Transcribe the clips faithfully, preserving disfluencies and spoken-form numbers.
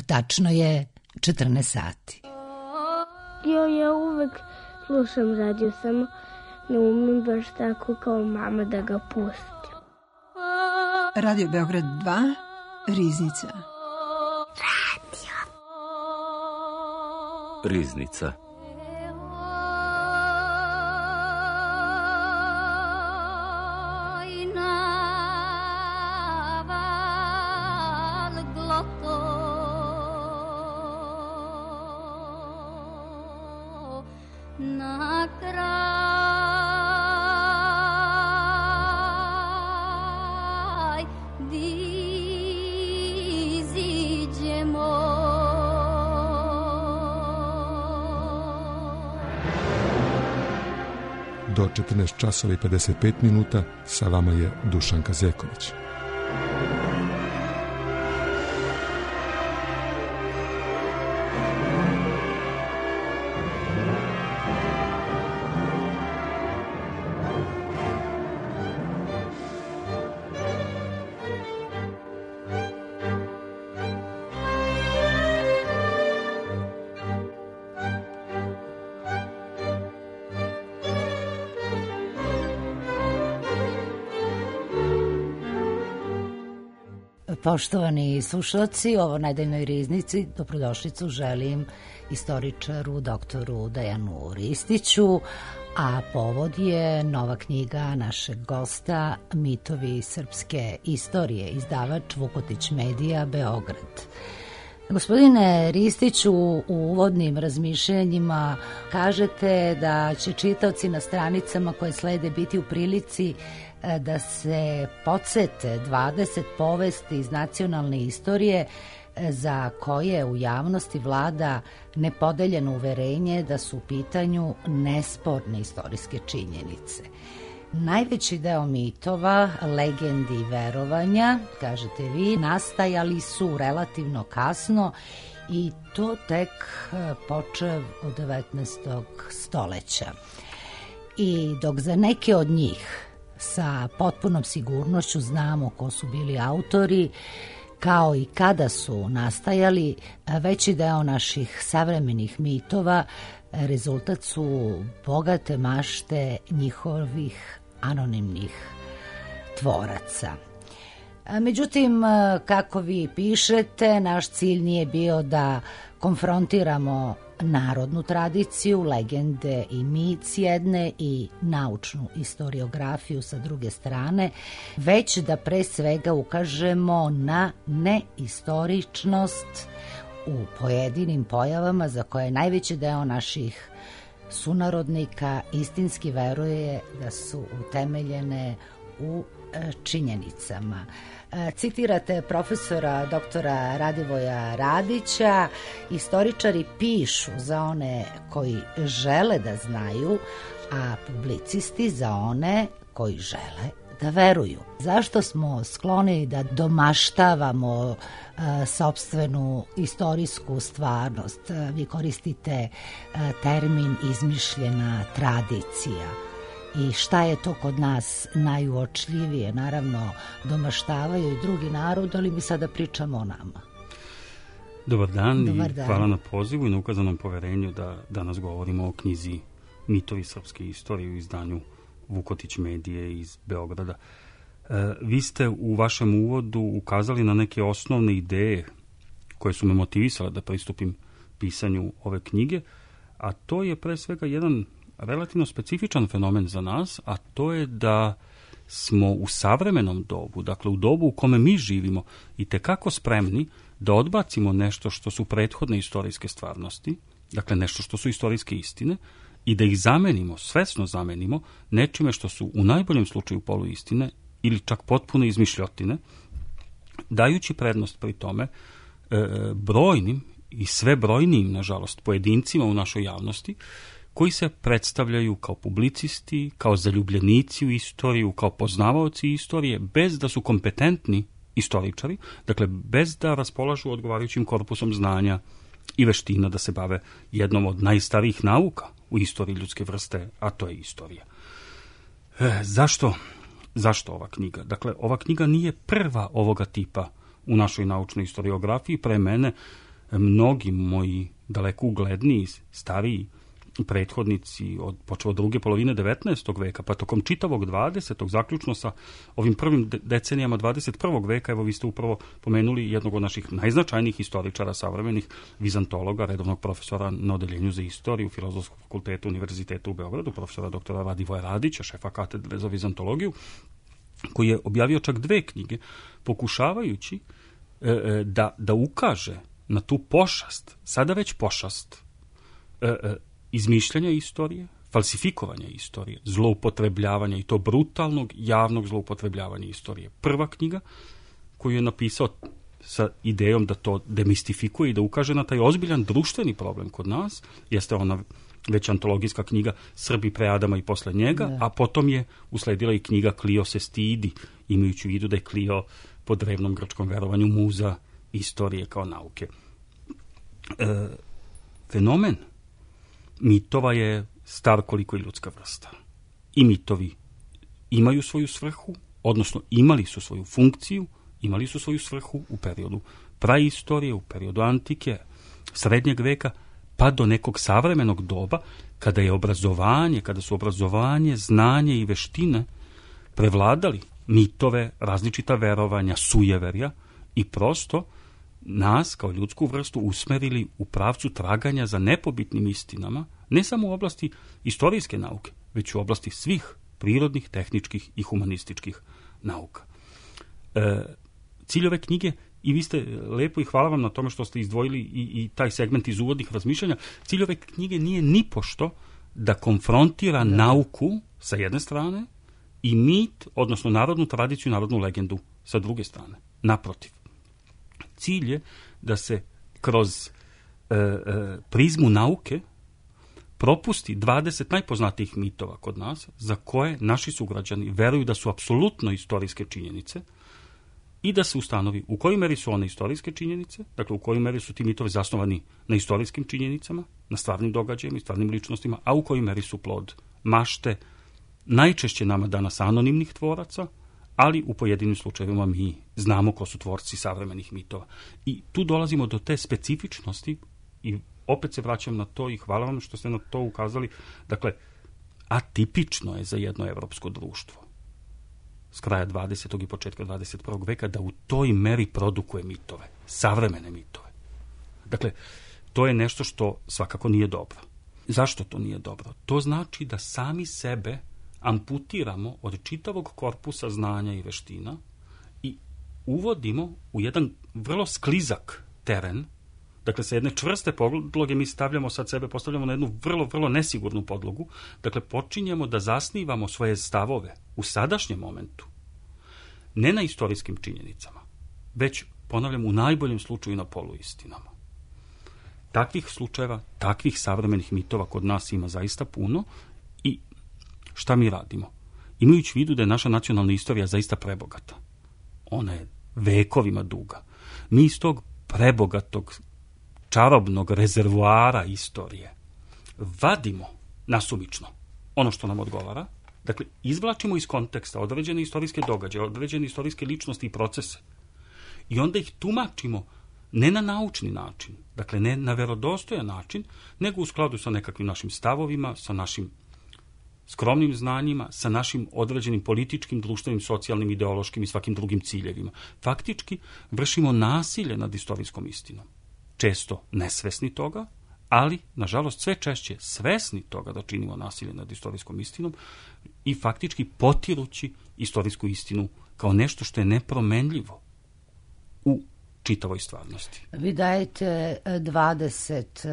Tačno je četrnaest sati. Jo, ja uvek slušam radio, samo ne umem baš tako kao mama da ga pustim. Radio Beograd dva, Riznica. Radio. Riznica. Do četrnaest časova i pedeset pet minuta sa vama je Dušanka Zeković. Poštovani slušalci, ovo Nedeljnoj riznici dobrodošlicu želim istoričaru doktoru Dejanu Ristiću, a povod je nova knjiga našeg gosta Mitovi srpske istorije, izdavač Vukotić Medija, Beograd. Gospodine Ristiću, u uvodnim razmišljanjima kažete da će čitaoci na stranicama koje slede biti u prilici da se podsete dvadeset povesti iz nacionalne istorije za koje u javnosti vlada nepodeljeno uverenje da su u pitanju nesporne istorijske činjenice. Najveći deo mitova, legendi i verovanja, kažete vi, nastajali su relativno kasno i to tek počev od devetnaestog stoleća. I dok za neke od njih sa potpunom sigurnošću znamo ko su bili autori, kao i kada su nastajali, veći deo naših savremenih mitova rezultat su bogate mašte njihovih anonimnih tvoraca. Međutim, kako vi pišete, naš cilj nije bio da konfrontiramo narodnu tradiciju, legende i mit s jedne i naučnu istoriografiju sa druge strane, već da pre svega ukažemo na neistoričnost u pojedinim pojavama za koje najveći deo naših sunarodnika istinski veruje da su utemeljene u činjenicama. Citirate profesora doktora Radivoja Radića, istoričari pišu za one koji žele da znaju, a publicisti za one koji žele da veruju. Zašto smo skloni da domaštavamo uh, sopstvenu istorijsku stvarnost? Vi koristite uh, termin izmišljena tradicija. I šta je to kod nas najuočljivije? Naravno, domaštavaju i drugi narod, ali mi sada pričamo o nama. Dobar dan, Dobar i dan. Hvala na pozivu i na ukazanom poverenju da danas govorimo o knjizi Mitovi srpske istorije u izdanju Vukotić Medije iz Beograda. E, vi ste u vašem uvodu ukazali na neke osnovne ideje koje su me motivisale da pristupim pisanju ove knjige, a to je pre svega jedan relativno specifičan fenomen za nas, a to je da smo u savremenom dobu, dakle u dobu u kome mi živimo, i tekako spremni da odbacimo nešto što su prethodne istorijske stvarnosti, dakle nešto što su istorijske istine, i da ih zamenimo, svesno zamenimo, nečime što su u najboljem slučaju poluistine ili čak potpune izmišljotine, dajući prednost pri tome e, brojnim i sve brojnijim, nažalost, pojedincima u našoj javnosti, koji se predstavljaju kao publicisti, kao zaljubljenici u istoriju, kao poznavaoci istorije, bez da su kompetentni istoričari, dakle bez da raspolažu odgovarajućim korpusom znanja i veština da se bave jednom od najstarijih nauka u istoriji ljudske vrste, a to je istorija. E, zašto? Zašto ova knjiga? Dakle, ova knjiga nije prva ovoga tipa u našoj naučnoj istoriografiji. Pre mene mnogi moji daleko ugledniji, stariji prethodnici od počeo od druge polovine devetnaestog veka, pa tokom čitavog dvadesetog zaključno sa ovim prvim decenijama dvadeset prvog veka, evo vi ste upravo pomenuli jednog od naših najznačajnijih historičara savremenih, vizantologa, redovnog profesora na odeljenju za istoriju Filozofskog fakulteta Univerziteta u Beogradu, profesora doktora Radivoja Radića, šefa katedre za vizantologiju, koji je objavio čak dve knjige, pokušavajući e, da, da ukaže na tu pošast, sada već pošast, e, e, izmišljanja istorije, falsifikovanja istorije, zloupotrebljavanja i to brutalnog javnog zloupotrebljavanja istorije. Prva knjiga koju je napisao sa idejom da to demistifikuje i da ukaže na taj ozbiljan društveni problem kod nas, jeste ona već antologijska knjiga Srbi pre Adama i posle njega, ne. A potom je usledila i knjiga Klio se stidi, imajući u vidu da je Klio po drevnom grčkom verovanju muza istorije kao nauke. E, fenomen mitova je star koliko i ljudska vrsta. I mitovi imaju svoju svrhu, odnosno imali su svoju funkciju, imali su svoju svrhu u periodu praistorije, u periodu antike, srednjeg veka, pa do nekog savremenog doba, kada je obrazovanje, kada su obrazovanje, znanje i veštine prevladali mitove, različita verovanja, sujeverja i prosto nas kao ljudsku vrstu usmerili u pravcu traganja za nepobitnim istinama, ne samo u oblasti istorijske nauke, već u oblasti svih prirodnih, tehničkih i humanističkih nauka. E, cilj ove knjige, i vi ste lepo i hvala vam na tome što ste izdvojili i, i taj segment iz uvodnih razmišljanja, cilj ove knjige nije nipošto da konfrontira da. nauku sa jedne strane i mit, odnosno narodnu tradiciju, narodnu legendu sa druge strane. Naprotiv. Cilj je da se kroz e, e, prizmu nauke propusti dvadeset najpoznatijih mitova kod nas, za koje naši sugrađani veruju da su apsolutno istorijske činjenice i da se ustanovi u kojoj meri su one istorijske činjenice, dakle u kojoj meri su ti mitovi zasnovani na istorijskim činjenicama, na stvarnim događajima i stvarnim ličnostima, a u kojoj meri su plod mašte, najčešće nama danas anonimnih tvoraca, ali u pojedinim slučajevima mi znamo ko su tvorci savremenih mitova. I tu dolazimo do te specifičnosti i opet se vraćam na to i hvala vam što ste na to ukazali. Dakle, atipično je za jedno evropsko društvo s kraja dvadesetog i početka dvadeset prvog veka da u toj meri produkuje mitove, savremene mitove. Dakle, to je nešto što svakako nije dobro. Zašto to nije dobro? To znači da sami sebe amputiramo od čitavog korpusa znanja i veština i uvodimo u jedan vrlo sklizak teren. Dakle, sa jedne čvrste podloge mi stavljamo sad sebe, postavljamo na jednu vrlo, vrlo nesigurnu podlogu. Dakle, počinjemo da zasnivamo svoje stavove u sadašnjem momentu, ne na istorijskim činjenicama, već, ponavljam, u najboljem slučaju na poluistinama. Takvih slučajeva, takvih savremenih mitova kod nas ima zaista puno i šta mi radimo? Imajući u vidu da je naša nacionalna istorija zaista prebogata. Ona je vekovima duga. Mi iz tog prebogatog čarobnog rezervoara istorije vadimo nasumično ono što nam odgovara, dakle izvlačimo iz konteksta određene istorijske događaje, određene istorijske ličnosti i procese i onda ih tumačimo ne na naučni način, dakle ne na verodostojan način, nego u skladu sa nekakvim našim stavovima, sa našim skromnim znanjima, sa našim određenim političkim, društvenim, socijalnim, ideološkim i svakim drugim ciljevima. Faktički vršimo nasilje nad istorijskom istinom. Često nesvesni toga, ali, nažalost, sve češće svesni toga da činimo nasilje nad istorijskom istinom i faktički potirući istorijsku istinu kao nešto što je nepromenljivo u čitavoj stvarnosti. Vi dajete dvadeset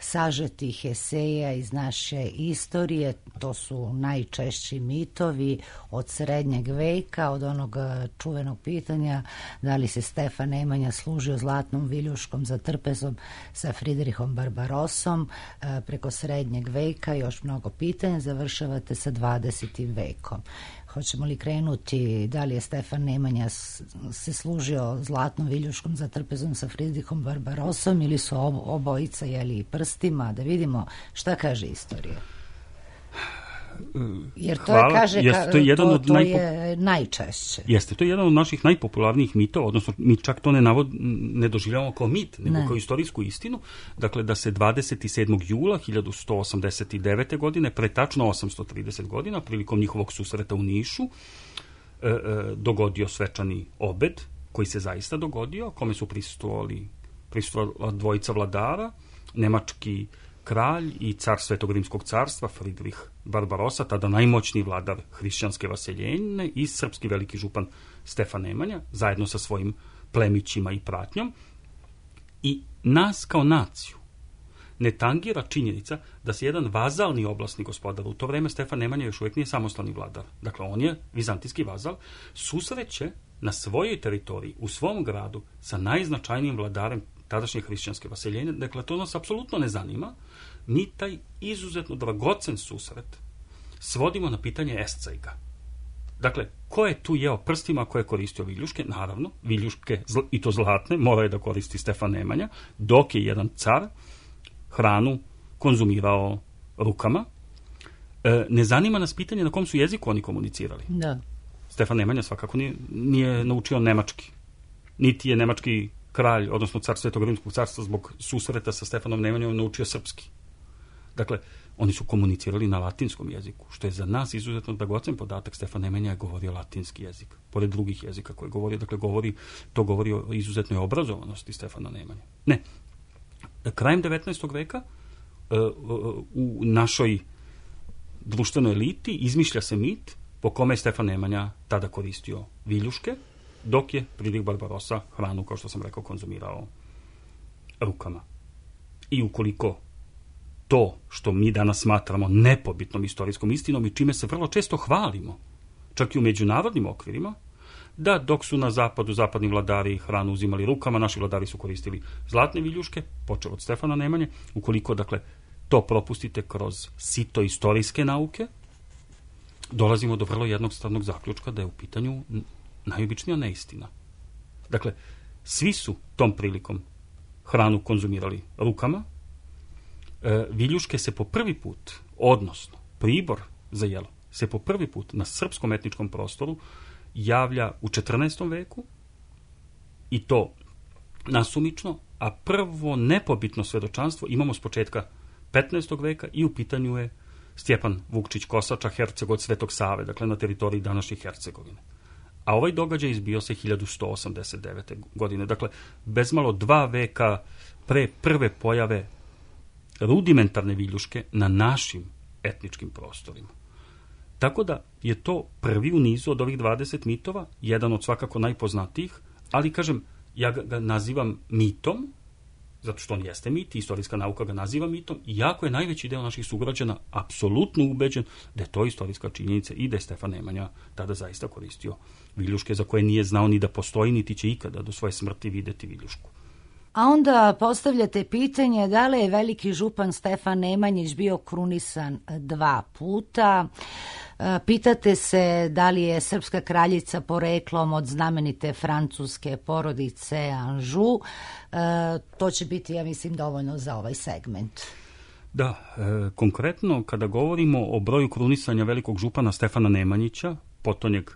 sažetih eseja iz naše istorije, to su najčešći mitovi od srednjeg veka, od onog čuvenog pitanja da li se Stefan Nemanja služio zlatnom viljuškom za trpezom sa Fridrihom Barbarosom, preko srednjeg veka još mnogo pitanja, završavate sa dvadesetim vekom. Hoćemo li krenuti, da li je Stefan Nemanja se služio zlatnom viljuškom za trpezom sa Fridrihom Barbarosom ili su obojica jeli prstima, da vidimo šta kaže istorija. Jer to hvala. je, kaže, Jeste, to je, jedan to, od to najpo... je najčešće. Jeste, to je jedan od naših najpopularnijih mitova, odnosno mi čak to ne, navod, ne doživljavamo kao mit, nego ne. kao istorijsku istinu. Dakle, da se dvadeset sedmog jula hiljadu sto osamdeset devete. godine, pre tačno osamsto trideset godina, prilikom njihovog susreta u Nišu, e, e, dogodio svečani obed, koji se zaista dogodio, kome su prisustvovali, prisustvovala dvojica vladara, nemački kralj i car Svetog Rimskog carstva, Fridrih Barbarosa, tada najmoćniji vladar hrišćanske vaseljene, i srpski veliki župan Stefan Nemanja, zajedno sa svojim plemićima i pratnjom. I nas kao naciju ne tangira činjenica da se jedan vazalni oblasni gospodar, u to vreme Stefan Nemanja još uvijek nije samostalni vladar, dakle on je vizantijski vazal, susreće na svojoj teritoriji, u svom gradu, sa najznačajnijim vladarem tadašnje hrišćanske vaseljenje. Dakle, to nas apsolutno ne zanima. Mi taj izuzetno dragocen susret svodimo na pitanje escejga. Dakle, ko je tu jeo prstima, ko je koristio viljuške? Naravno, viljuške, i to zlatne, mora je da koristi Stefan Nemanja, dok je jedan car hranu konzumirao rukama. E, ne zanima nas pitanje na kom su jeziku oni komunicirali. Da. Stefan Nemanja svakako nije, nije naučio nemački. Niti je nemački kralj, odnosno car Svetog Rimskog carstva, zbog susreta sa Stefanom Nemanjom naučio srpski. Dakle, oni su komunicirali na latinskom jeziku, što je za nas izuzetno dragocen podatak. Stefan Nemanja je govorio latinski jezik, pored drugih jezika koje govori, dakle, govori, to govori o izuzetnoj obrazovanosti Stefana Nemanja. Ne. Krajem devetnaestog veka u našoj društvenoj eliti izmišlja se mit po kome je Stefan Nemanja tada koristio viljuške, dok je Fridrih Barbarosa hranu, kao što sam rekao, konzumirao rukama. I ukoliko to što mi danas smatramo nepobitnom istorijskom istinom i čime se vrlo često hvalimo, čak i u međunarodnim okvirima, da dok su na zapadu zapadni vladari hranu uzimali rukama, naši vladari su koristili zlatne viljuške, počeo od Stefana Nemanje, ukoliko, dakle, to propustite kroz sito istorijske nauke, dolazimo do vrlo jednostavnog zaključka da je u pitanju najobičnija neistina. Dakle, svi su tom prilikom hranu konzumirali rukama, e, viljuške se po prvi put, odnosno pribor za jelo, se po prvi put na srpskom etničkom prostoru javlja u četrnaestom veku, i to nasumično, a prvo nepobitno svedočanstvo imamo s početka petnaestog veka i u pitanju je Stjepan Vukčić Kosača, herceg od Svetog Save, dakle na teritoriji današnje Hercegovine. A ovaj događaj izbio se hiljadu sto osamdeset devete. godine. Dakle, bezmalo dva veka pre prve pojave rudimentarne viljuške na našim etničkim prostorima. Tako da je to prvi u nizu od ovih dvadeset mitova, jedan od svakako najpoznatijih, ali, kažem, ja ga, ga nazivam mitom, zato što on jeste mit, istorijska nauka ga naziva mitom, iako je najveći deo naših sugrađana apsolutno ubeđen da je to istorijska činjenica i da je Stefan Nemanja tada zaista koristio viljuške za koje nije znao ni da postoji, niti će ikada do svoje smrti videti viljušku. A onda postavljate pitanje da li je veliki župan Stefan Nemanjić bio krunisan dva puta. Pitate se da li je srpska kraljica poreklom od znamenite francuske porodice Anžu. To će biti, ja mislim, dovoljno za ovaj segment. Da, e, konkretno kada govorimo o broju krunisanja velikog župana Stefana Nemanjića, potonjeg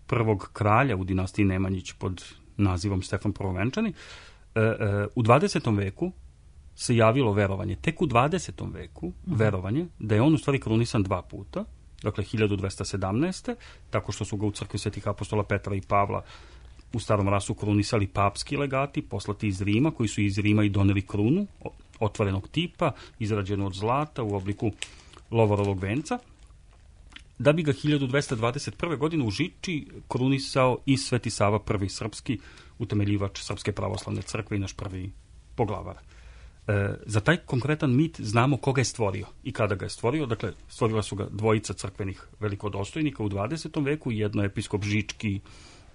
prvog kralja u dinastiji Nemanjić pod nazivom Stefan Prvovenčani, e, e, u dvadesetom veku se javilo verovanje, tek u dvadesetom veku verovanje da je on u stvari krunisan dva puta, dakle hiljadu dvesta sedamnaeste. tako što su ga u crkvi Svetih apostola Petra i Pavla u starom rasu krunisali papski legati, poslati iz Rima, koji su iz Rima i doneli krunu otvorenog tipa, izrađenu od zlata u obliku lovorovog venca, da bi ga hiljadu dvesta dvadeset prve. godine u Žiči krunisao i Sveti Sava prvi srpski, utemeljivač Srpske pravoslavne crkve i naš prvi poglavar. E, za taj konkretan mit znamo koga je stvorio i kada ga je stvorio. Dakle, stvorila su ga dvojica crkvenih velikodostojnika u dvadesetom veku, jedno je episkop Žički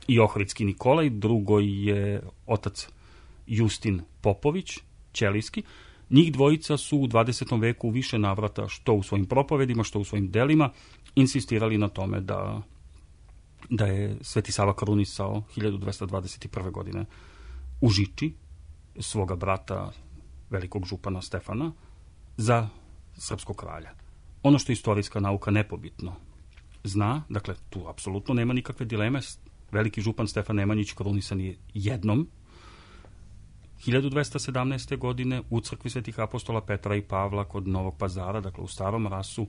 i Ohridski Nikolaj, drugo je otac Justin Popović, Ćelijski. Njih dvojica su u dvadesetom veku u više navrata, što u svojim propovedima, što u svojim delima, insistirali na tome da, da je Sveti Sava krunisao hiljadu dvesta dvadeset prve. godine u Žiči svoga brata, velikog župana Stefana, za srpskog kralja. ono što istorijska nauka nepobitno zna, dakle, tu apsolutno nema nikakve dileme, veliki župan Stefan Nemanjić krunisan je jednom, hiljadu dvesta sedamnaeste. godine u crkvi Svetih apostola Petra i Pavla kod Novog Pazara, dakle u Starom Rasu,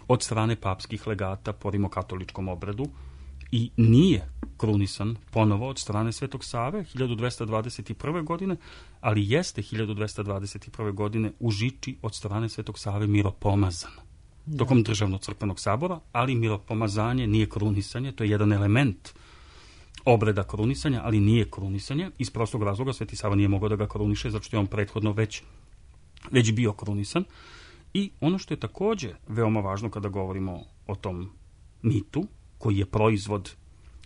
od strane papskih legata po rimokatoličkom obredu, i nije krunisan ponovo od strane Svetog Save hiljadu dvesta dvadeset prve. godine, ali jeste hiljadu dvesta dvadeset prve. godine u Žiči od strane Svetog Save miropomazan tokom državnog crkvenog sabora, ali miropomazanje nije krunisanje, to je jedan element obreda krunisanja, ali nije krunisanje. Iz prostog razloga Sveti Sava nije mogao da ga kruniše, zato što je on prethodno već, već bio krunisan. I ono što je takođe veoma važno kada govorimo o tom mitu, koji je proizvod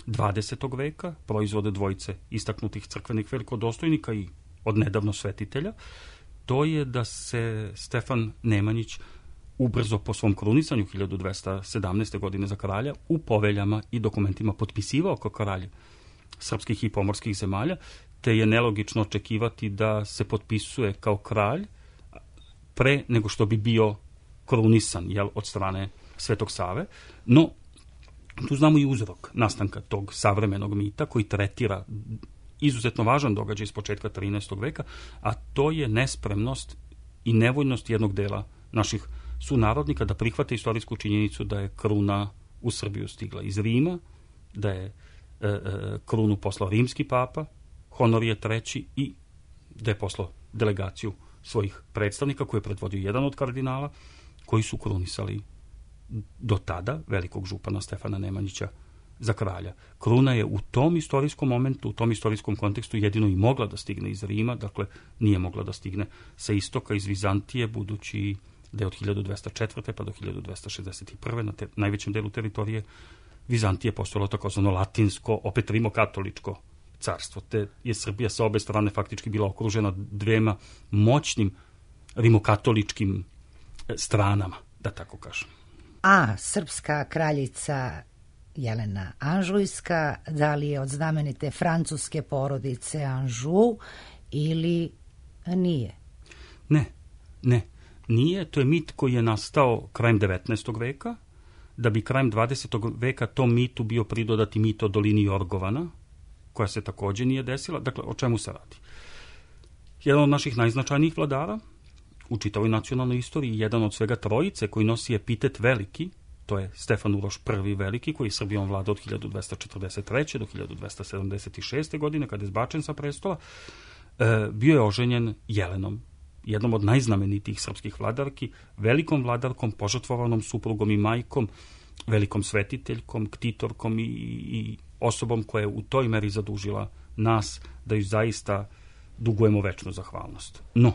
dvadesetog veka, proizvod dvojice istaknutih crkvenih velikodostojnika i odnedavno svetitelja, to je da se Stefan Nemanjić ubrzo po svom krunisanju hiljadu dvesta sedamnaeste. godine za kralja u poveljama i dokumentima potpisivao kao kralj srpskih i pomorskih zemalja, te je nelogično očekivati da se potpisuje kao kralj pre nego što bi bio krunisan, jel, od strane Svetog Save. No, tu znamo i uzrok nastanka tog savremenog mita koji tretira izuzetno važan događaj iz početka trinaestog. veka, a to je nespremnost i nevoljnost jednog dela naših sunarodnika da prihvate istorijsku činjenicu da je kruna u Srbiju stigla iz Rima, da je e, e, krunu poslao rimski papa, Honorije treći, i da je poslao delegaciju svojih predstavnika koje je predvodio jedan od kardinala, koji su krunisali do tada velikog župana Stefana Nemanjića za kralja. Kruna je u tom istorijskom momentu, u tom istorijskom kontekstu jedino i mogla da stigne iz Rima, dakle nije mogla da stigne sa istoka iz Vizantije, budući da je od hiljadu dvesta četvrte. pa do hiljadu dvesta šezdeset prve. na te, najvećem delu teritorije Vizantije postojalo takozvano latinsko, opet rimokatoličko carstvo, te je Srbija sa obe strane faktički bila okružena dvema moćnim rimokatoličkim stranama, da tako kažem. A srpska kraljica Jelena Anžujska, da li je od znamenite francuske porodice Anžu ili nije? Ne, ne. Nije, to je mit koji je nastao krajem devetnaestog. veka, da bi krajem dvadesetog. veka tom mitu bio pridodati mit o dolini Jorgovana, koja se takođe nije desila. Dakle, o čemu se radi? Jedan od naših najznačajnijih vladara u čitavoj nacionalnoj istoriji, jedan od svega trojice koji nosi epitet veliki, to je Stefan Uroš prvi veliki, koji je Srbijom vladao od hiljadu dvesta četrdeset treće. do hiljadu dvesta sedamdeset šeste. godine, kada je zbačen sa prestola, e, bio je oženjen Jelenom, jednom od najznamenitijih srpskih vladarki, velikom vladarkom, požrtvovanom suprugom i majkom, velikom svetiteljkom, ktitorkom i, i osobom koja je u toj meri zadužila nas da ju zaista dugujemo večnu zahvalnost. No,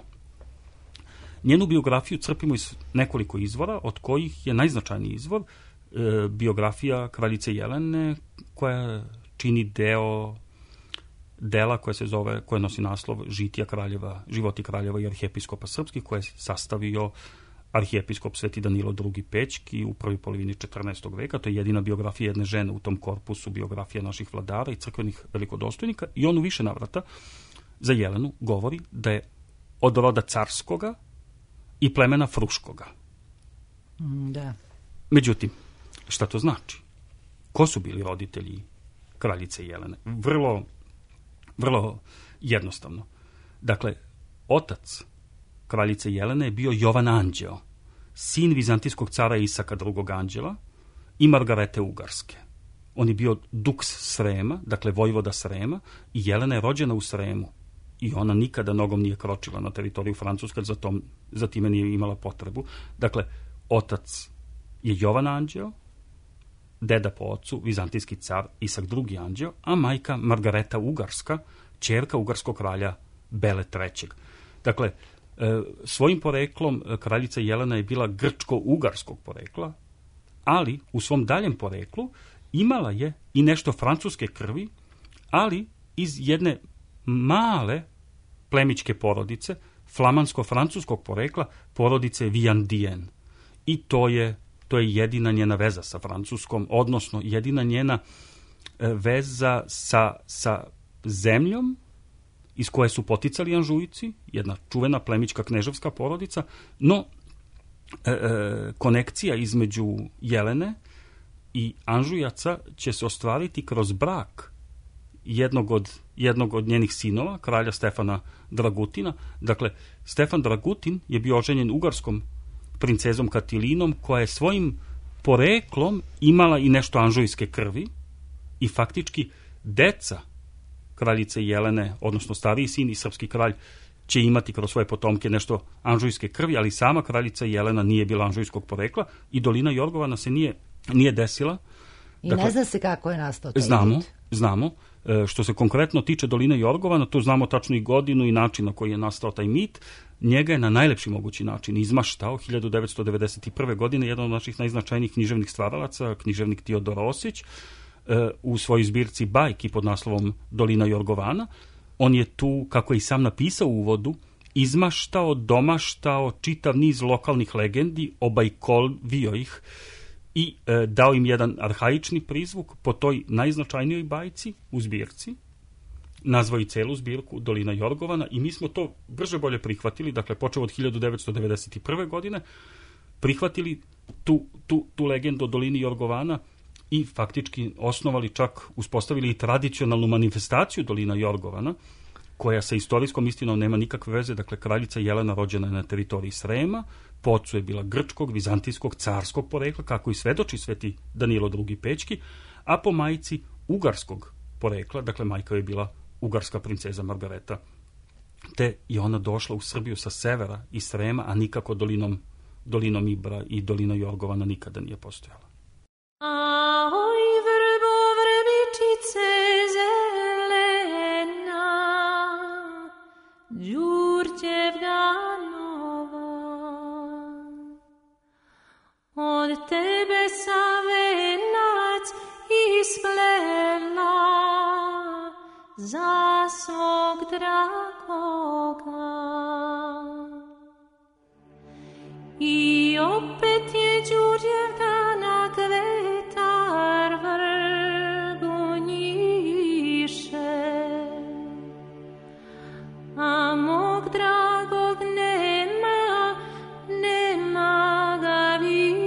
njenu biografiju crpimo iz nekoliko izvora, od kojih je najznačajniji izvor e, biografija kraljice Jelene, koja čini deo dela koje se zove, koje nosi naslov Žitija kraljeva, životi kraljeva i arhijepiskopa srpskih, koje je sastavio arhijepiskop Sveti Danilo drugi. Pećki u prvoj polovini četrnaestog. veka. To je jedina biografija jedne žene u tom korpusu, biografija naših vladara i crkvenih velikodostojnika, i on u više navrata za Jelenu govori da je od roda carskoga i plemena Fruškoga. Da. Međutim, šta to znači? Ko su bili roditelji kraljice Jelene? Vrlo, vrlo jednostavno. Dakle, otac kraljice Jelene je bio Jovan Anđeo, sin vizantijskog cara Isaka drugog Anđela i Margarete Ugarske. On je bio duks Srema, dakle vojvoda Srema, i Jelena je rođena u Sremu. I ona nikada nogom nije kročila na teritoriju Francuske, za, tom, za time nije imala potrebu. Dakle, otac je Jovan Anđeo, deda po ocu, vizantijski car Isak drugi Anđeo, a majka Margareta Ugarska, ćerka ugarskog kralja Bele trećeg. Dakle, svojim poreklom kraljica Jelena je bila grčko-ugarskog porekla, ali u svom daljem poreklu imala je i nešto francuske krvi, ali iz jedne male plemićke porodice, flamansko-francuskog porekla, porodice Viandien. I to je, to je jedina njena veza sa Francuskom, odnosno jedina njena veza sa, sa zemljom iz koje su poticali Anžujci, jedna čuvena plemićka kneževska porodica, no e, e, konekcija između Jelene i Anžujaca će se ostvariti kroz brak jednog od, jednog od njenih sinova, kralja Stefana Dragutina. Dakle, Stefan Dragutin je bio oženjen ugarskom princezom Katilinom, koja je svojim poreklom imala i nešto anžujske krvi i faktički deca kraljice Jelene, odnosno stariji sin i srpski kralj, će imati kroz svoje potomke nešto anžujske krvi, ali sama kraljica Jelena nije bila anžujskog porekla i dolina Jorgovana se nije, nije desila. I dakle, ne zna se kako je nastao taj znamo, mit. Znamo. E, što se konkretno tiče doline Jorgovana, tu znamo tačno i godinu i način na koji je nastao taj mit. Njega je na najlepši mogući način izmaštao hiljadu devetsto devedeset prve. godine jedan od naših najznačajnijih književnih stvaralaca, književnik Teodor Osić, e, u svojoj zbirci bajki pod naslovom Dolina Jorgovana. On je tu, kako je i sam napisao u uvodu, izmaštao, domaštao čitav niz lokalnih legendi, obajkovio ih i e, dao im jedan arhaični prizvuk po toj najznačajnijoj bajci u zbirci. Nazvao i celu zbirku Dolina Jorgovana i mi smo to brže bolje prihvatili, dakle počeo od hiljadu devetsto devedeset prve. godine, prihvatili tu, tu, tu legendu o Dolini Jorgovana i faktički osnovali, čak uspostavili i tradicionalnu manifestaciju Dolina Jorgovana, koja sa istorijskom istinom nema nikakve veze. Dakle, kraljica Jelena rođena je na teritoriji Srema, po ocu je bila grčkog, vizantijskog, carskog porekla, kako i svedoči sveti Danilo drugi. Pećki, a po majci ugarskog porekla, dakle majka je bila ugarska princeza Margareta, te je ona došla u Srbiju sa severa i Srema, a nikako dolinom, dolinom Ibra i dolina Jorgovana nikada nije postojala. Ahoj, vrbo, vrbičice zelena, Đurđevna nova, od tebe sam venac isplela za svog dragoga. I opet je Đurđevdana kvetar vrbu njiše, a mog dragog nema, nema ga više.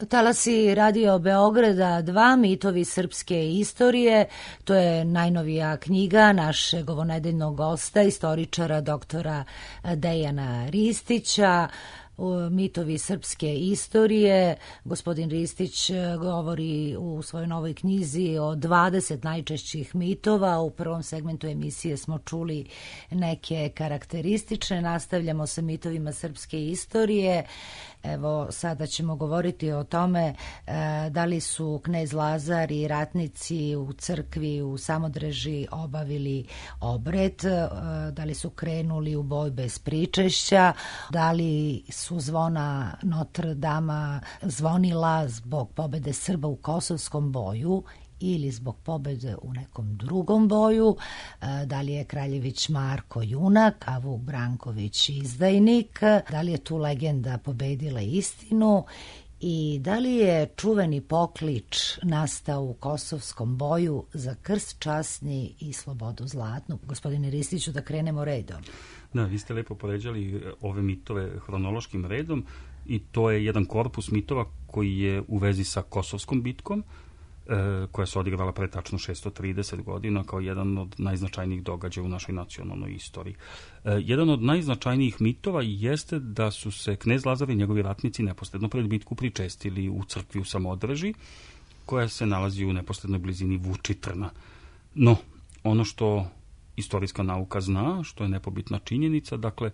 Talasi Radio Beograda dva, mitovi srpske istorije. To je najnovija knjiga našeg ovonedeljnog gosta, istoričara doktora Dejana Ristića. Mitovi srpske istorije. Gospodin Ristić govori u svojoj novoj knjizi o dvadeset najčešćih mitova. U prvom segmentu emisije smo čuli neke karakteristične. Nastavljamo sa mitovima srpske istorije. Evo, sada ćemo govoriti o tome e, da li su knez Lazar i ratnici u crkvi u Samodreži obavili obred, e, da li su krenuli u boj bez pričešća, da li su zvona Notre Dama zvonila zbog pobede Srba u Kosovskom boju ili zbog pobede u nekom drugom boju, da li je Kraljević Marko junak, a Vuk Branković izdajnik, da li je tu legenda pobedila istinu i da li je čuveni poklič nastao u kosovskom boju za krst časni i slobodu zlatnu. Gospodine Ristiću, da krenemo redom. Da, vi ste lepo poređali ove mitove hronološkim redom i to je jedan korpus mitova koji je u vezi sa Kosovskom bitkom, koja se odigrala pre tačno šesto trideset godina kao jedan od najznačajnijih događaja u našoj nacionalnoj istoriji. Jedan od najznačajnijih mitova jeste da su se knez Lazar i njegovi ratnici neposredno pred bitku pričestili u crkvi u Samodreži, koja se nalazi u neposrednoj blizini Vučitrna. No, ono što istorijska nauka zna, što je nepobitna činjenica, dakle,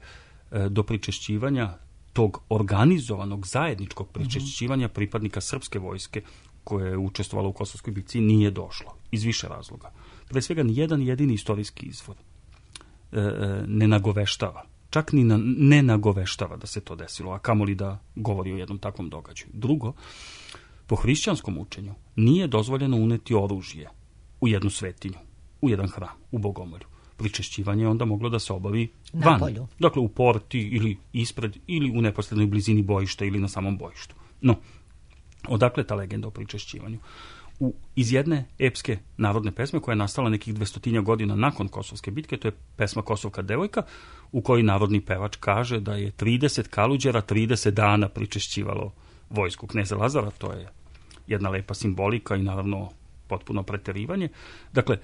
do pričešćivanja tog organizovanog zajedničkog pričešćivanja pripadnika srpske vojske koje je učestvovalo u Kosovskoj bitci nije došlo. Iz više razloga. Pre svega, nijedan jedini istorijski izvor e, ne nagoveštava, čak ni na, ne nagoveštava da se to desilo, a kamoli da govori o jednom takvom događaju. Drugo, po hrišćanskom učenju nije dozvoljeno uneti oružje u jednu svetinju, u jedan hram, u Bogomolju. Pričešćivanje je onda moglo da se obavi van. Napolju. Dakle, u porti ili ispred ili u neposrednoj blizini bojišta ili na samom bojištu. No, odakle ta legenda o pričešćivanju? U, iz jedne epske narodne pesme koja je nastala nekih dvestotinja godina nakon Kosovske bitke, to je pesma Kosovka devojka, u kojoj narodni pevač kaže da je trideset kaluđera trideset dana pričešćivalo vojsku kneza Lazara. To je jedna lepa simbolika i naravno potpuno preterivanje. Dakle,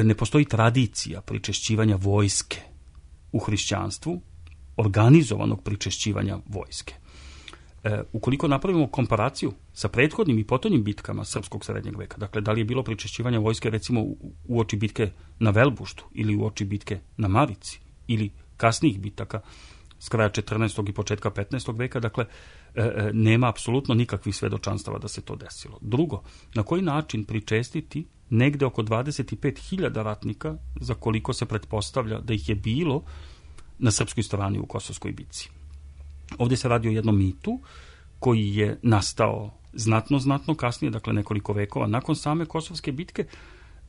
ne postoji tradicija pričešćivanja vojske u hrišćanstvu, organizovanog pričešćivanja vojske. E, ukoliko napravimo komparaciju sa prethodnim i potonjim bitkama srpskog srednjeg veka, dakle, da li je bilo pričešćivanja vojske recimo u, u oči bitke na Velbuštu ili u oči bitke na Marici ili kasnijih bitaka s kraja četrnaestog i početka petnaestog veka, dakle, e, e, nema apsolutno nikakvih svedočanstava da se to desilo. Drugo, na koji način pričestiti negde oko dvadeset pet hiljada ratnika, za koliko se pretpostavlja da ih je bilo na srpskoj strani u Kosovskoj bitci. Ovdje se radi o jednom mitu koji je nastao znatno, znatno kasnije, dakle nekoliko vekova nakon same Kosovske bitke.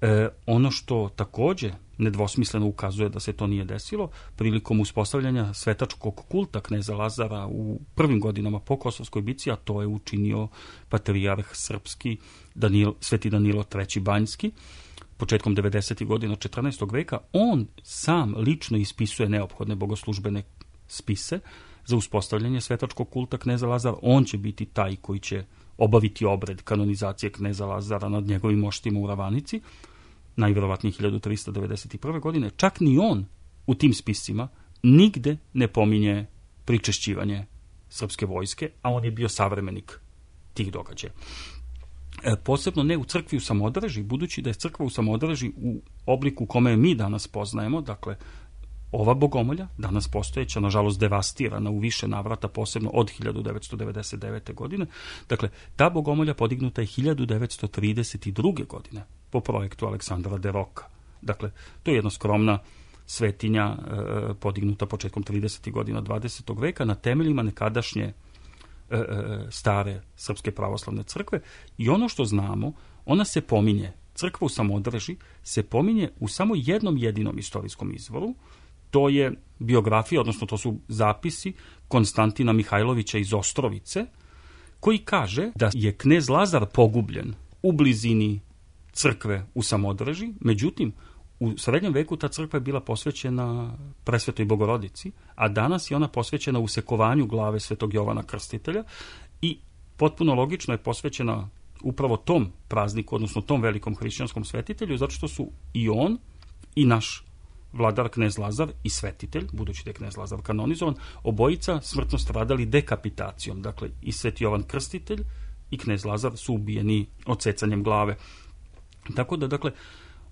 E, ono što također nedvosmisleno ukazuje da se to nije desilo, prilikom uspostavljanja svetačkog kulta kneza Lazara u prvim godinama po Kosovskoj bitci, a to je učinio patrijarh srpski Danilo, Sveti Danilo treći Banjski, početkom devedesetih godina četrnaestog veka, on sam lično ispisuje neophodne bogoslužbene spise za uspostavljanje svetačkog kulta kneza Lazara. On će biti taj koji će obaviti obred kanonizacije kneza Lazara nad njegovim moštima u Ravanici, najvjerovatnije hiljadu trista devedeset prve. godine. Čak ni on u tim spisima nigde ne pominje pričešćivanje srpske vojske, a on je bio savremenik tih događaja. E, posebno ne u crkvi u Samodreži, budući da je crkva u Samodreži u obliku kome mi danas poznajemo, dakle, ova bogomolja, danas postojeća, nažalost devastirana u više navrata, posebno od hiljadu devetsto devedeset devete. godine. Dakle, ta bogomolja podignuta je hiljadu devetsto trideset druge. godine po projektu Aleksandra de Roka. Dakle, to je jedna skromna svetinja e, podignuta početkom tridesetih godina dvadesetog veka na temeljima nekadašnje e, e, stare srpske pravoslavne crkve. I ono što znamo, ona se pominje, crkva u Samodreži se pominje u samo jednom jedinom istorijskom izvoru. To je biografija, odnosno to su zapisi Konstantina Mihajlovića iz Ostrovice, koji kaže da je knez Lazar pogubljen u blizini crkve u Samodreži. Međutim, u srednjem veku ta crkva je bila posvećena Presvetoj Bogorodici, a danas je ona posvećena usekovanju glave Svetog Jovana Krstitelja i potpuno logično je posvećena upravo tom prazniku, odnosno tom velikom hrišćanskom svetitelju, zato što su i on i naš vladar knez Lazar i svetitelj, budući da je knez Lazar kanonizovan, obojica smrtno stradali dekapitacijom. Dakle, i Sveti Jovan Krstitelj i knez Lazar su ubijeni odsecanjem glave. Tako da, dakle,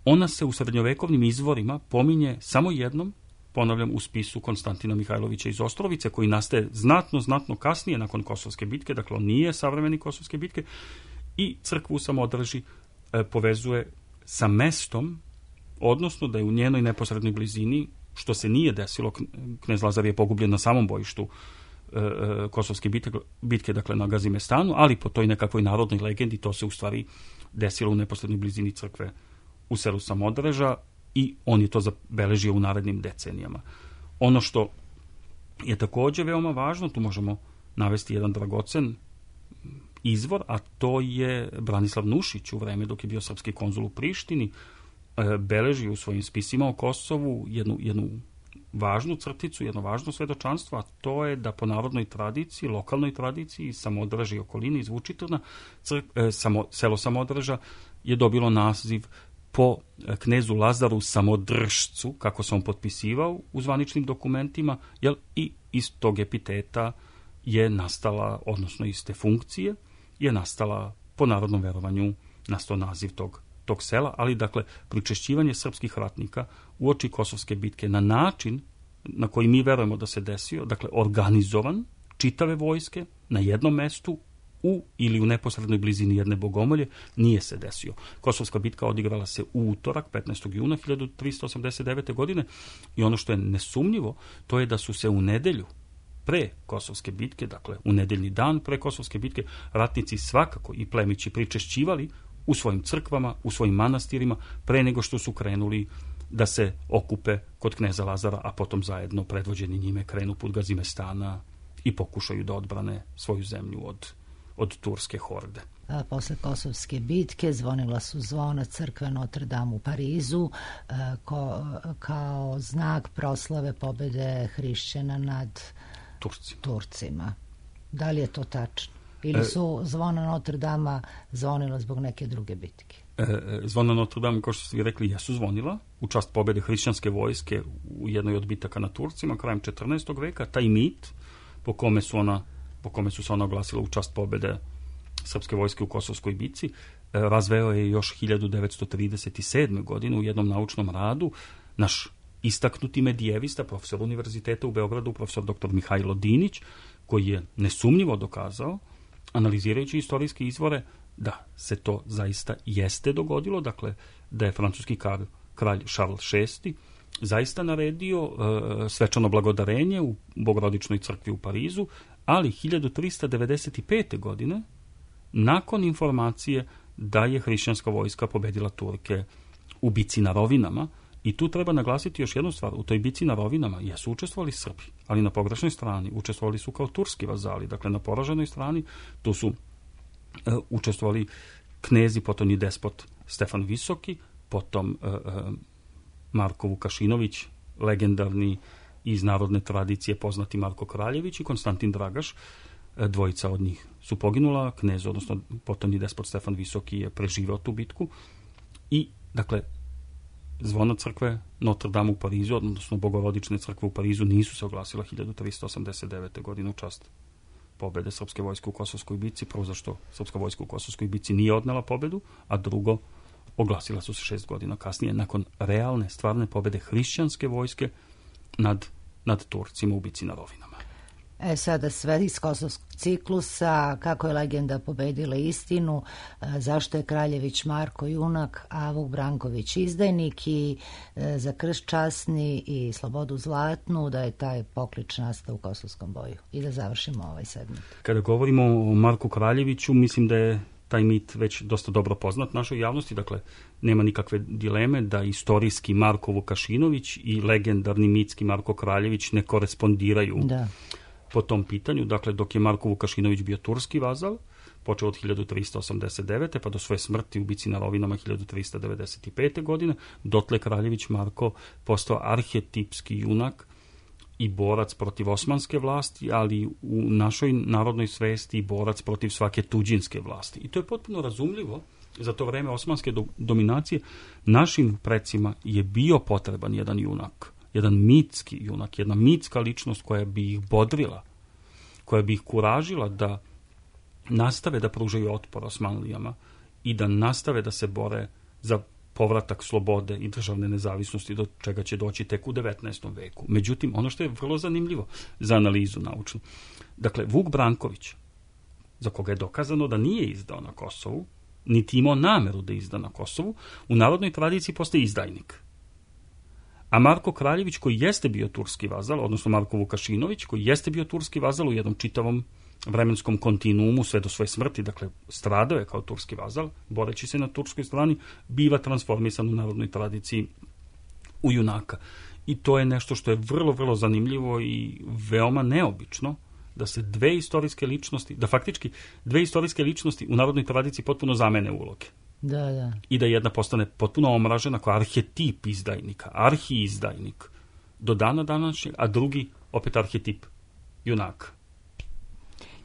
ona se u srednjovekovnim izvorima pominje samo jednom, ponavljam, u spisu Konstantina Mihajlovića iz Ostrovice, koji nastaje znatno, znatno kasnije nakon Kosovske bitke, dakle, on nije savremeni Kosovske bitke, i crkvu u Samodreži e, povezuje sa mestom, odnosno da je u njenoj neposrednoj blizini, što se nije desilo, knez Lazar je pogubljen na samom bojištu e, kosovske bitke, bitke, dakle na Gazimestanu, ali po toj nekakvoj narodnoj legendi to se u stvari desilo u neposrednoj blizini crkve u selu Samodreža i on je to zabeležio u narednim decenijama. Ono što je također veoma važno, tu možemo navesti jedan dragocen izvor, a to je Branislav Nušić u vreme dok je bio srpski konzul u Prištini, beleži u svojim spisima o Kosovu jednu, jednu važnu crticu, jedno važno svedočanstvo, a to je da po narodnoj tradiciji, lokalnoj tradiciji, Samodreža i okolini iz Vučitrna, e, samo, selo Samodreža je dobilo naziv po knezu Lazaru Samodržcu, kako se on potpisivao u zvaničnim dokumentima, jel, i iz tog epiteta je nastala, odnosno iz te funkcije, je nastala po narodnom verovanju nastao naziv tog, tog sela, ali dakle pričešćivanje srpskih ratnika uoči Kosovske bitke na način na koji mi verujemo da se desio, dakle organizovan, čitave vojske na jednom mestu u ili u neposrednoj blizini jedne bogomolje, nije se desio. Kosovska bitka odigrala se u utorak, petnaestog juna hiljadu tristo osamdeset devete. godine i ono što je nesumnjivo, to je da su se u nedelju pre Kosovske bitke, dakle u nedeljni dan pre Kosovske bitke, ratnici svakako i plemići pričešćivali u svojim crkvama, u svojim manastirima, pre nego što su krenuli da se okupe kod kneza Lazara, a potom zajedno predvođeni njime krenu put Gazimestana i pokušaju da odbrane svoju zemlju od, od turske horde. A posle Kosovske bitke zvonila su zvona crkve Notre Dame u Parizu a, ko, kao znak proslave pobede hrišćana nad Turci. Turcima. Da li je to tačno? Ili su zvona Notre Dame zvonila zbog neke druge bitke? E, zvona Notre Dame, kao što ste vi rekli, jesu zvonila u čast pobede hrišćanske vojske u jednoj od bitaka na Turcima krajem četrnaestog veka. Taj mit po kome su, ona, po kome su se ona oglasila u čast pobede srpske vojske u Kosovskoj bitci, e, razveo je još hiljadu devetsto trideset sedme. godine u jednom naučnom radu naš istaknuti medijevista, profesor univerziteta u Beogradu, profesor doktor Mihajlo Dinić, koji je nesumnjivo dokazao, analizirajući istorijske izvore, da se to zaista jeste dogodilo, dakle da je francuski kralj, kralj Charles šesti zaista naredio e, svečano blagodarenje u Bogorodičnoj crkvi u Parizu, ali hiljadu trista devedeset pete. godine, nakon informacije da je hrišćanska vojska pobedila Turke u bici na Rovinama. I tu treba naglasiti još jednu stvar, u toj bici na Rovinama jesu učestvovali Srbi, ali na pogrešnoj strani učestvovali su kao turski vazali, dakle na poraženoj strani tu su e, učestvovali knezi, potom i despot Stefan Visoki, potom e, e, Marko Vukašinović, legendarni iz narodne tradicije poznati Marko Kraljević i Konstantin Dragaš, e, dvojica od njih su poginula, knez, odnosno potom i despot Stefan Visoki je preživao tu bitku i dakle zvona crkve Notre Dame u Parizu, odnosno Bogorodične crkve u Parizu, nisu se oglasila hiljadu tristo osamdeset devete. godine u čast pobede srpske vojske u Kosovskoj bitci, prvo zašto srpska vojska u Kosovskoj bitci nije odnela pobedu, a drugo, oglasila su se šest godina kasnije, nakon realne, stvarne pobede hrišćanske vojske nad, nad Turcima u bici na Rovinama. E sada sve iz Kosovskog ciklusa, kako je legenda pobedila istinu, zašto je Kraljević Marko junak, a Vuk Branković izdajnik i e, za krst časni i slobodu zlatnu, da je taj poklič nastao u Kosovskom boju. I da završimo ovaj segment. Kada govorimo o Marku Kraljeviću, mislim da je taj mit već dosta dobro poznat našoj javnosti, dakle nema nikakve dileme da istorijski Marko Vukašinović i legendarni mitski Marko Kraljević ne korespondiraju da. po tom pitanju. Dakle, dok je Marko Vukašinović bio turski vazal, počeo od hiljadu trista osamdeset devete. pa do svoje smrti u bici na Rovinama hiljadu trista devedeset pete. godine, dotle Kraljević Marko postao arhetipski junak i borac protiv osmanske vlasti, ali u našoj narodnoj svesti i borac protiv svake tuđinske vlasti. I to je potpuno razumljivo. Za to vreme osmanske do, dominacije našim precima je bio potreban jedan junak, jedan mitski junak, jedna mitska ličnost koja bi ih bodrila, koja bi ih kuražila da nastave da pružaju otpor Osmanlijama i da nastave da se bore za povratak slobode i državne nezavisnosti, do čega će doći tek u devetnaestom veku. Međutim, ono što je vrlo zanimljivo za analizu naučnu, dakle, Vuk Branković, za koga je dokazano da nije izdao na Kosovu, niti imao nameru da izda na Kosovu, u narodnoj tradiciji postaje izdajnik. A Marko Kraljević, koji jeste bio turski vazal, odnosno Marko Vukašinović, koji jeste bio turski vazal u jednom čitavom vremenskom kontinuumu sve do svoje smrti, dakle stradao je kao turski vazal, boreći se na turskoj strani, biva transformisan u narodnoj tradiciji u junaka. I to je nešto što je vrlo, vrlo zanimljivo i veoma neobično, da se dve istorijske ličnosti, da faktički dve istorijske ličnosti u narodnoj tradiciji potpuno zamene uloge. Da, da. I da jedna postane potpuno omražena kao arhetip izdajnika, arhi-izdajnik do dana današnjeg, a drugi opet arhetip junaka.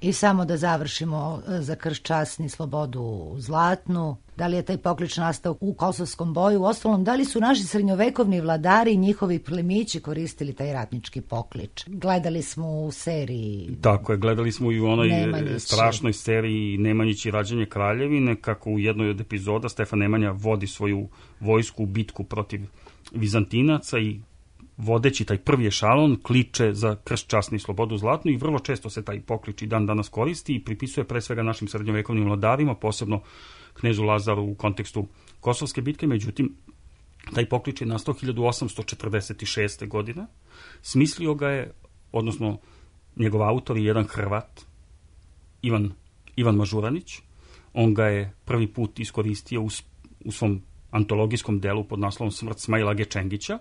I samo da završimo za krst časni slobodu zlatnu. Da li je taj poklič nastao u kosovskom boju? Uostalom, da li su naši srednjovekovni vladari i njihovi plemići koristili taj ratnički poklič? Gledali smo u seriji... Tako je, gledali smo i u onoj Nemanjić. strašnoj seriji Nemanjić i rađanje kraljevine, kako u jednoj od epizoda Stefan Nemanja vodi svoju vojsku u bitku protiv Vizantinaca i vodeći taj prvi ešalon kliče za krst časni slobodu zlatnu i vrlo često se taj poklič i dan danas koristi i pripisuje pre svega našim srednjovekovnim vladarima, posebno knezu Lazaru u kontekstu Kosovske bitke. Međutim, taj poklič je nastao hiljadu osamsto četrdeset šeste. godine. Smislio ga je, odnosno njegov autor je jedan Hrvat, Ivan, Ivan Mažuranić. On ga je prvi put iskoristio u, u svom antologijskom delu pod naslovom Smrt Smaila Gečengića,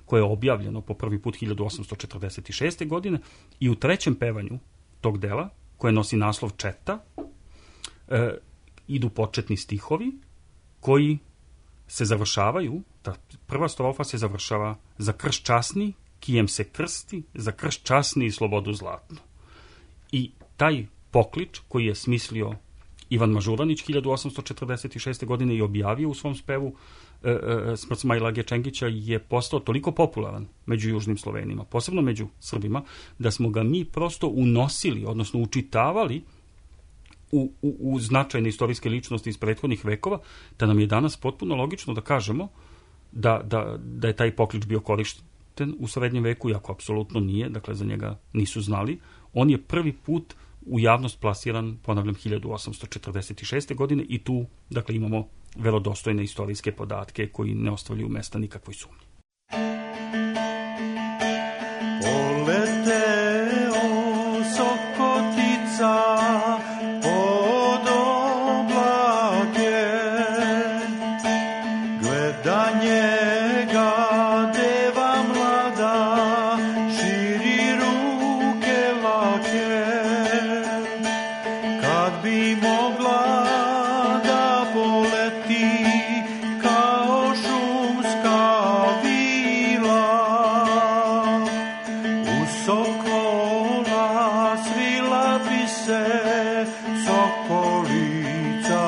koje je objavljeno po prvi put hiljadu osamsto četrdeset šeste. godine i u trećem pevanju tog dela, koje nosi naslov Četa, e, idu početni stihovi koji se završavaju, ta prva strofa se završava za krst časni, kijem se krsti, za krst časni i slobodu zlatnu. I taj poklič koji je smislio Ivan Mažuranić hiljadu osamsto četrdeset šeste. godine i objavio u svom spevu e, e, Smrt Smaila Gečengića je postao toliko popularan među južnim Slovenima, posebno među Srbima, da smo ga mi prosto unosili, odnosno učitavali u, u, u značajne istorijske ličnosti iz prethodnih vekova, da nam je danas potpuno logično da kažemo da, da, da je taj poklič bio korišten u srednjem veku, iako apsolutno nije, dakle za njega nisu znali. On je prvi put u javnost plasiran, ponavljam, hiljadu osamsto četrdeset šeste. godine i tu, dakle, imamo verodostojne istorijske podatke koji ne ostavljaju mesta nikakvoj sumnji. Poleteo sokotica pod oblake, gleda njega deva mlada, širi ruke lake. Kad bi mogla da poleti kao šumska vila, u sokola svila bi se sokolica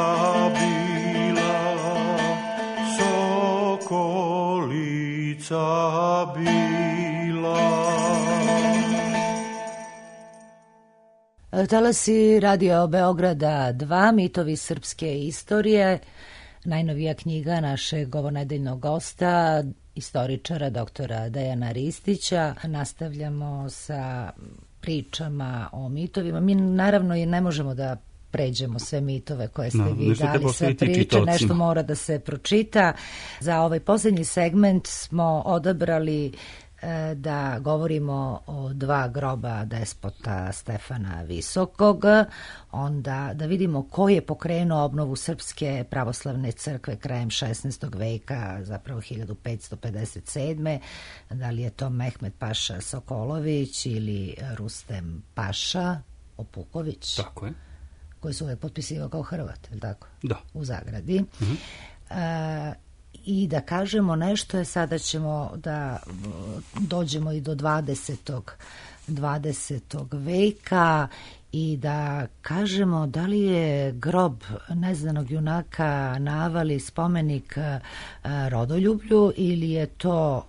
bila, sokolica bila. Talasi Radio Beograda dva, mitovi srpske istorije, najnovija knjiga našeg ovonedeljnog gosta, istoričara doktora Dejana Ristića. Nastavljamo sa pričama o mitovima. Mi naravno i ne možemo da pređemo sve mitove koje ste no, vi dali, sve priče, nešto mora da se pročita. Za ovaj posljednji segment smo odabrali da govorimo o dva groba despota Stefana Visokog, onda da vidimo ko je pokrenuo obnovu Srpske pravoslavne crkve krajem šesnaestog veka, zapravo hiljadu petsto pedeset sedme. Da li je to Mehmed Paša Sokolović ili Rustem Paša Opuković? Tako je. Koji su uvek potpisivao kao Hrvat, je li tako? Da. U zagradi. Mhm. E, I da kažemo nešto je, sada ćemo da dođemo i do dvadesetog veka i da kažemo da li je grob neznanog junaka Navali spomenik rodoljublju ili je to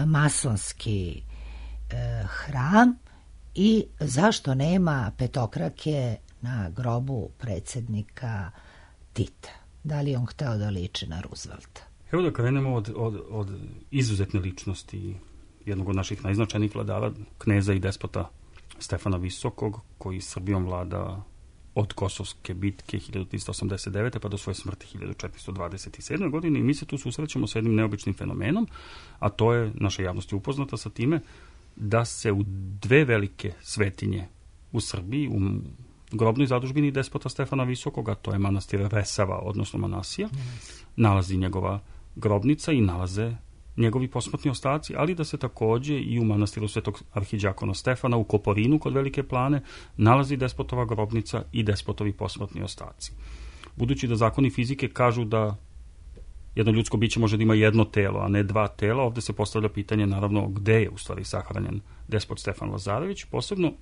masonski hram i zašto nema petokrake na grobu predsjednika Tita. Da li on hteo da liči na Roosevelta? Evo da krenemo od, od, od izuzetne ličnosti jednog od naših najznačajnijih vladara, kneza i despota Stefana Visokog, koji Srbijom vlada od Kosovske bitke hiljadu tristo osamdeset devete. pa do svoje smrti hiljadu četiristo dvadeset sedme. godine i mi se tu susrećemo sa jednim neobičnim fenomenom, a to je, naša javnost je upoznata sa time, da se u dve velike svetinje u Srbiji, u grobnoj zadužbini despota Stefana Visokog, a to je manastir Resava, odnosno Manasija, yes. nalazi njegova grobnica i nalaze njegovi posmrtni ostaci, ali da se takođe i u manastiru Svetog arhiđakona Stefana u Koporinu kod Velike Plane nalazi despotova grobnica i despotovi posmrtni ostaci. Budući da zakoni fizike kažu da jedno ljudsko biće može da ima jedno telo, a ne dva tela, ovde se postavlja pitanje naravno gde je u stvari sahranjen despot Stefan Lazarević, posebno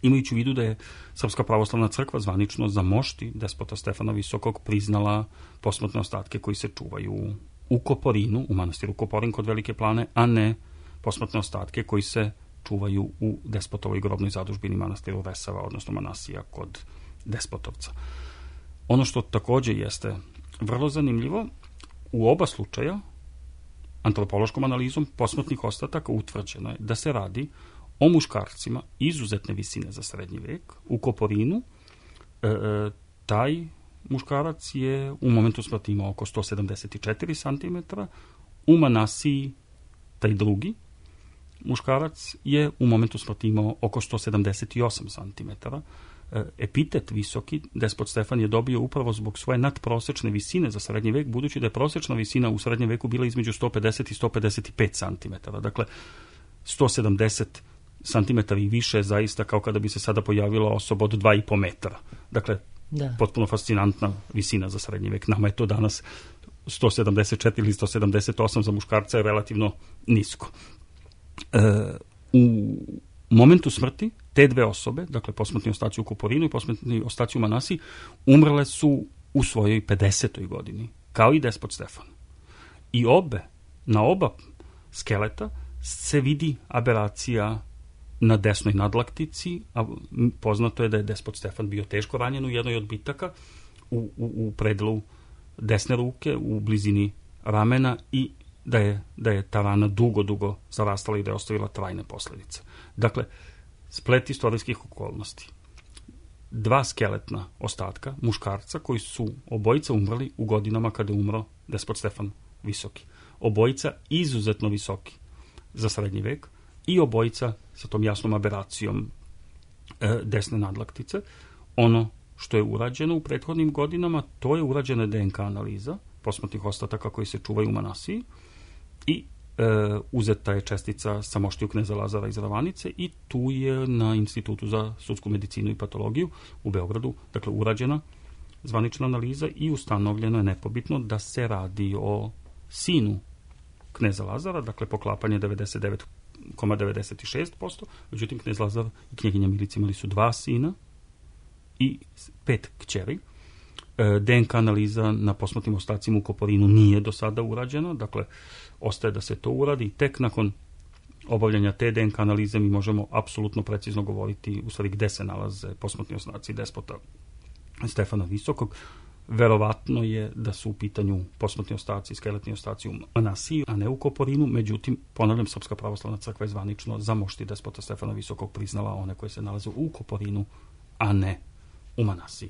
imajući u vidu da je Srpska pravoslavna crkva zvanično za mošti despota Stefana Visokog priznala posmrtne ostatke koji se čuvaju u Koporinu, u manastiru Koporin kod Velike Plane, a ne posmrtne ostatke koji se čuvaju u despotovoj grobnoj zadužbini manastiru Resava, odnosno Manasija kod Despotovca. Ono što takođe jeste vrlo zanimljivo, u oba slučaja antropološkom analizom posmrtnih ostataka utvrđeno je da se radi o muškarcima izuzetne visine za srednji vek. U Koporinu e, e, taj muškarac je u momentu smrti imao oko sto sedamdeset četiri centimetra, u Manasiji taj drugi muškarac je u momentu smrti imao oko sto sedamdeset osam centimetara. Epitet visoki despot Stefan je dobio upravo zbog svoje nadprosečne visine za srednji vek, budući da je prosečna visina u srednjem veku bila između sto pedeset i sto pedeset pet centimetara. Dakle, sto sedamdeset centimetara i više je zaista kao kada bi se sada pojavila osoba od dva i po metra. Dakle, da. Potpuno fascinantna visina za srednji vek. Nama je to danas sto sedamdeset četiri ili sto sedamdeset osam za muškarca je relativno nisko. E, u momentu smrti te dve osobe, dakle posmrtni ostaci u Koporinu i posmrtni ostaci u Manasiji, umrle su u svojoj pedesetoj godini, kao i despot Stefan. I obe, na oba skeleta se vidi aberacija na desnoj nadlaktici, a poznato je da je despot Stefan bio teško ranjen u jednoj od bitaka u, u, u predelu desne ruke, u blizini ramena i da je, da je ta rana dugo, dugo zarastala i da je ostavila trajne posledice. Dakle, splet istorijskih okolnosti. Dva skeletna ostatka muškarca koji su obojica umrli u godinama kada je umro despot Stefan Visoki. Obojica izuzetno visoki za srednji vek i obojica sa tom jasnom aberacijom e, desne nadlaktice. Ono što je urađeno u prethodnim godinama, to je urađena D N K analiza posmrtnih ostataka koji se čuvaju u Manasiji i e, uzeta je čestica sa moštiju kneza Lazara iz Ravanice i tu je na Institutu za sudsku medicinu i patologiju u Beogradu, dakle, urađena zvanična analiza i ustanovljeno je nepobitno da se radi o sinu kneza Lazara, dakle poklapanje devedeset devet zarez devedeset šest posto, međutim knez Lazar i knjeginja Milica imali su dva sina i pet kćeri. D N K analiza na posmrtnim ostacima u Koporinu nije do sada urađena, dakle ostaje da se to uradi i tek nakon obavljanja te D N K analize mi možemo apsolutno precizno govoriti u stvari gde se nalaze posmrtni ostaci despota Stefana Visokog. Verovatno je da su u pitanju posmrtni ostaci, skeletni ostaci u Manasiji, a ne u Koporinu, međutim, ponavljam, Srpska pravoslavna crkva je zvanično za mošti despota Stefana Visokog priznala one koje se nalaze u Koporinu, a ne u Manasiji.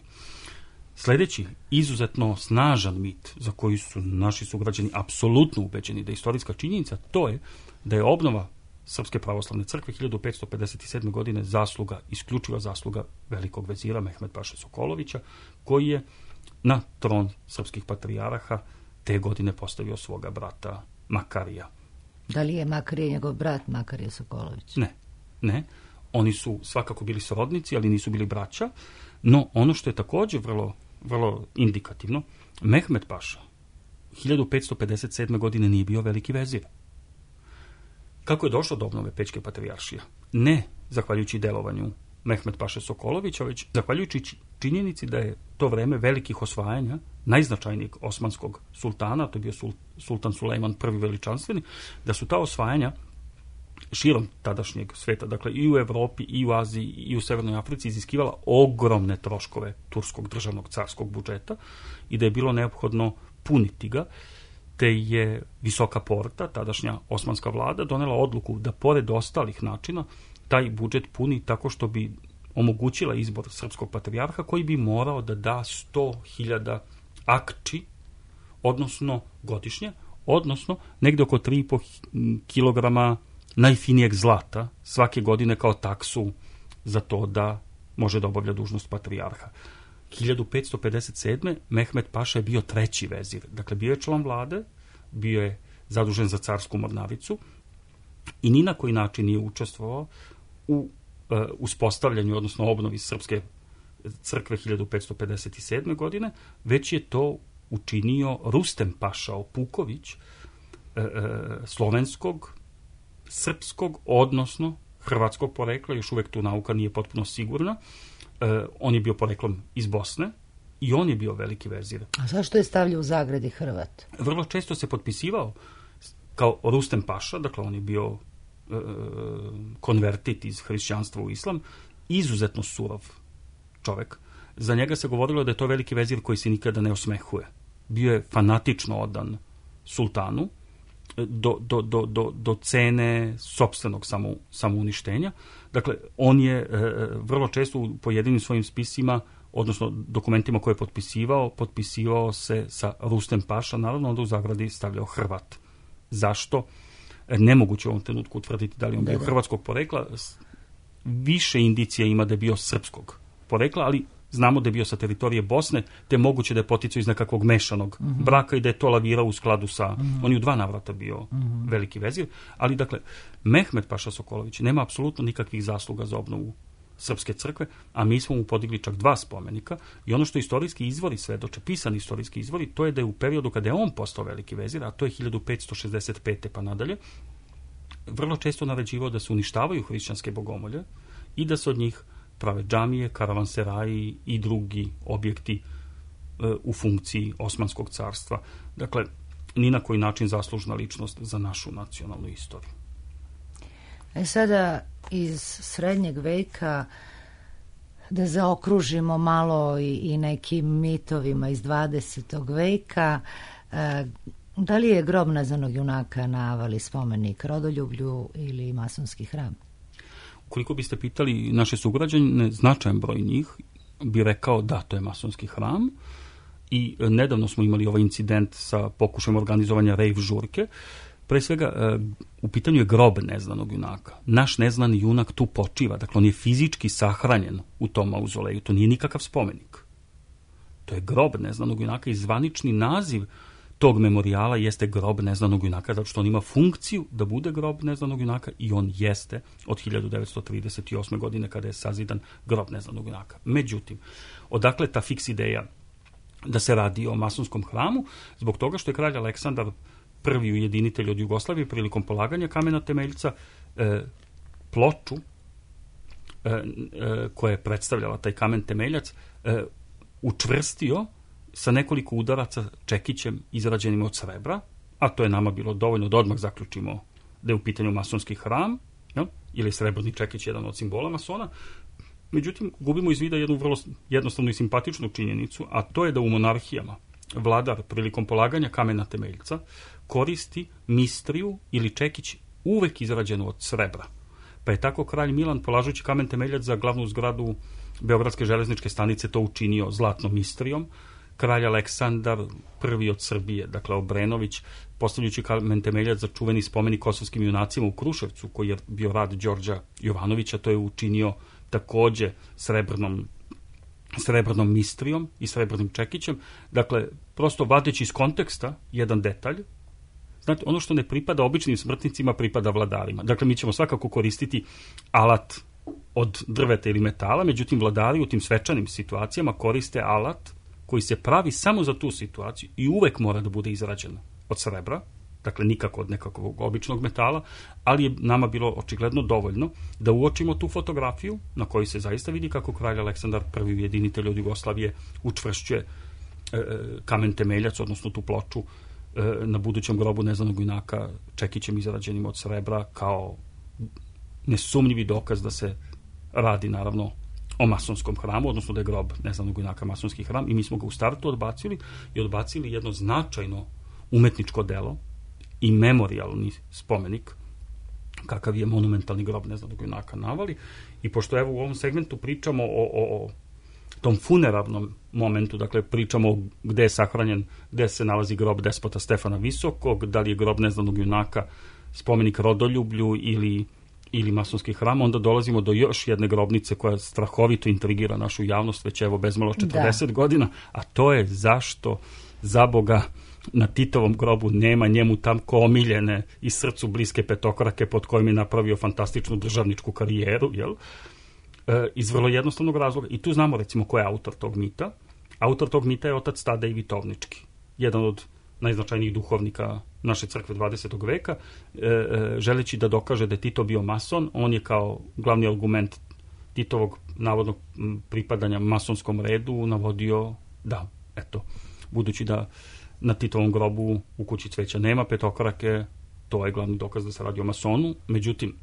Sledeći izuzetno snažan mit za koji su naši sugrađani apsolutno ubeđeni da je istorijska činjenica, to je da je obnova Srpske pravoslavne crkve hiljadu petsto pedeset sedme. godine zasluga, isključiva zasluga velikog vezira Mehmed Paše Sokolovića, koji je na tron srpskih patrijaraha te godine postavio svoga brata Makarija. Da li je Makarija njegov brat Makarija Sokolović? Ne, ne. Oni su svakako bili srodnici, ali nisu bili braća, no ono što je takođe vrlo, vrlo indikativno, Mehmed Paša hiljadu petsto pedeset sedme. godine nije bio veliki vezir. Kako je došlo do obnove Pećke patrijaršije? Ne zahvaljujući delovanju Mehmed Paše Sokolovića, već zahvaljujući činjenici da je to vreme velikih osvajanja najznačajnijeg osmanskog sultana, to je bio sultan Sulejman prvi veličanstveni, da su ta osvajanja širom tadašnjeg sveta, dakle i u Evropi, i u Aziji, i u Severnoj Africi iziskivala ogromne troškove turskog državnog carskog budžeta i da je bilo neophodno puniti ga, te je Visoka Porta, tadašnja osmanska vlada, donela odluku da pored ostalih načina taj budžet puni tako što bi omogućila izbor srpskog patrijarha koji bi morao da da sto hiljada akči, odnosno godišnje, odnosno negde oko tri i po kilograma najfinijeg zlata svake godine kao taksu za to da može da obavlja dužnost patrijarha. hiljadu petsto pedeset sedme. Mehmed Paša je bio treći vezir. Dakle, bio je član vlade, bio je zadužen za carsku mornaricu i ni na koji način nije učestvovao u uh, uspostavljanju, odnosno obnovi srpske crkve hiljadu petsto pedeset sedme. godine, već je to učinio Rustem Paša Opuković, uh, uh, slovenskog, srpskog, odnosno hrvatskog porekla, još uvek tu nauka nije potpuno sigurna. Uh, on je bio poreklom iz Bosne i on je bio veliki vezir. A zašto je stavljao u zagradi Hrvat? Vrlo često se potpisivao kao Rustem Paša, dakle on je bio uh, konvertit iz hrišćanstva u islam, izuzetno surov čovek. Za njega se govorilo da je to veliki vezir koji se nikada ne osmehuje. Bio je fanatično odan sultanu, do, do, do, do, do cene sopstvenog samo, samouništenja. Dakle, on je e, vrlo često u pojedinim svojim spisima, odnosno dokumentima koje je potpisivao, potpisivao se sa Rustem Paša, naravno onda u zagradi stavljao Hrvat. Zašto? Nemoguće u ovom trenutku utvrditi da li on bio hrvatskog porekla. Više indicija ima da je bio srpskog porekla, ali znamo da je bio sa teritorije Bosne, te moguće da je poticao iz nekakvog mešanog mm-hmm. braka i da je to lavirao u skladu sa... Mm-hmm. On je u dva navrata bio mm-hmm. veliki vezir, ali dakle, Mehmed Paša Sokolović nema apsolutno nikakvih zasluga za obnovu srpske crkve, a mi smo mu podigli čak dva spomenika i ono što istorijski izvori svedoče, pisani istorijski izvori, to je da je u periodu kada je on postao veliki vezir, a to je hiljadu petsto šezdeset pete pa nadalje, vrlo često naređivao da se uništavaju hrišćanske bogomolje i da se od njih prave džamije, karavanseraji i drugi objekti e, u funkciji Osmanskog carstva. Dakle, ni na koji način zaslužna ličnost za našu nacionalnu istoriju. E sada iz srednjeg veka da zaokružimo malo i, i nekim mitovima iz dvadesetog veka. E, da li je grob neznanog junaka na Avali spomenik rodoljublju ili masonski hram? Ukoliko biste pitali naše sugrađane, značajan broj njih bi rekao da, to je masonski hram. I nedavno smo imali ovaj incident sa pokušajem organizovanja rave žurke. Pre svega, u pitanju je grob neznanog junaka. Naš neznani junak tu počiva, dakle on je fizički sahranjen u tom mauzoleju, to nije nikakav spomenik. To je grob neznanog junaka i zvanični naziv tog memorijala jeste grob neznanog junaka, zato što on ima funkciju da bude grob neznanog junaka i on jeste od hiljadu devetsto trideset osme. godine kada je sazidan grob neznanog junaka. Međutim, odakle ta fiks ideja da se radi o masonskom hramu? Zbog toga što je kralj Aleksandar prvi ujedinitelj od Jugoslavije prilikom polaganja kamena temeljca e, ploču e, e, koja je predstavljala taj kamen temeljac e, učvrstio sa nekoliko udaraca čekićem izrađenim od srebra, a to je nama bilo dovoljno da odmah zaključimo da je u pitanju masonski hram, ja? Ili srebrni čekić jedan od simbola masona. Međutim, gubimo iz vida jednu vrlo jednostavnu i simpatičnu činjenicu, a to je da u monarhijama vladar prilikom polaganja kamena temeljca koristi mistriju ili čekić uvek izrađenu od srebra. Pa je tako kralj Milan, polažući kamen temeljac za glavnu zgradu Beogradske železničke stanice, to učinio zlatnom mistrijom. Kralj Aleksandar prvi od Srbije, dakle Obrenović, postavljajući kamen temeljac za čuveni spomenik kosovskim junacima u Kruševcu, koji je bio rad Đorđa Jovanovića, to je učinio takođe srebrnom srebrnom mistrijom i srebrnim čekićem. Dakle, prosto vadeći iz konteksta jedan detalj. Znate, ono što ne pripada običnim smrtnicima pripada vladarima. Dakle, mi ćemo svakako koristiti alat od drveta ili metala, međutim, vladari u tim svečanim situacijama koriste alat koji se pravi samo za tu situaciju i uvek mora da bude izrađen od srebra, dakle nikako od nekakvog običnog metala, ali je nama bilo očigledno dovoljno da uočimo tu fotografiju na kojoj se zaista vidi kako kralj Aleksandar prvi ujedinitelj od Jugoslavije učvršćuje e, kamen temeljac, odnosno tu ploču e, na budućem grobu neznanog junaka čekićem izrađenim od srebra kao nesumnjivi dokaz da se radi naravno o masonskom hramu, odnosno da je grob neznanog junaka masonski hram, i mi smo ga u startu odbacili i odbacili jedno značajno umetničko delo i memorijalni spomenik kakav je monumentalni grob neznanog junaka navali. I pošto evo u ovom segmentu pričamo o, o, o tom funeralnom momentu, dakle pričamo gde je sahranjen, gde se nalazi grob despota Stefana Visokog, da li je grob neznanog junaka spomenik rodoljublju ili, ili masonski hram, onda dolazimo do još jedne grobnice koja strahovito intrigira našu javnost već evo bezmalo četrdeset da. godina, a to je zašto za Boga na Titovom grobu nema njemu tamko omiljene i srcu bliske petokrake pod kojim je napravio fantastičnu državničku karijeru, jel? E, iz vrlo jednostavnog razloga. I tu znamo recimo ko je autor tog mita. Autor tog mita je otac Tadej Vitovnički, jedan od najznačajnijih duhovnika naše crkve dvadesetog veka, e, e, želeći da dokaže da je Tito bio mason. On je kao glavni argument Titovog navodnog pripadanja masonskom redu navodio da, eto, budući da na Titovom grobu u kući cveća nema petokrake, to je glavni dokaz da se radi o masonu. Međutim,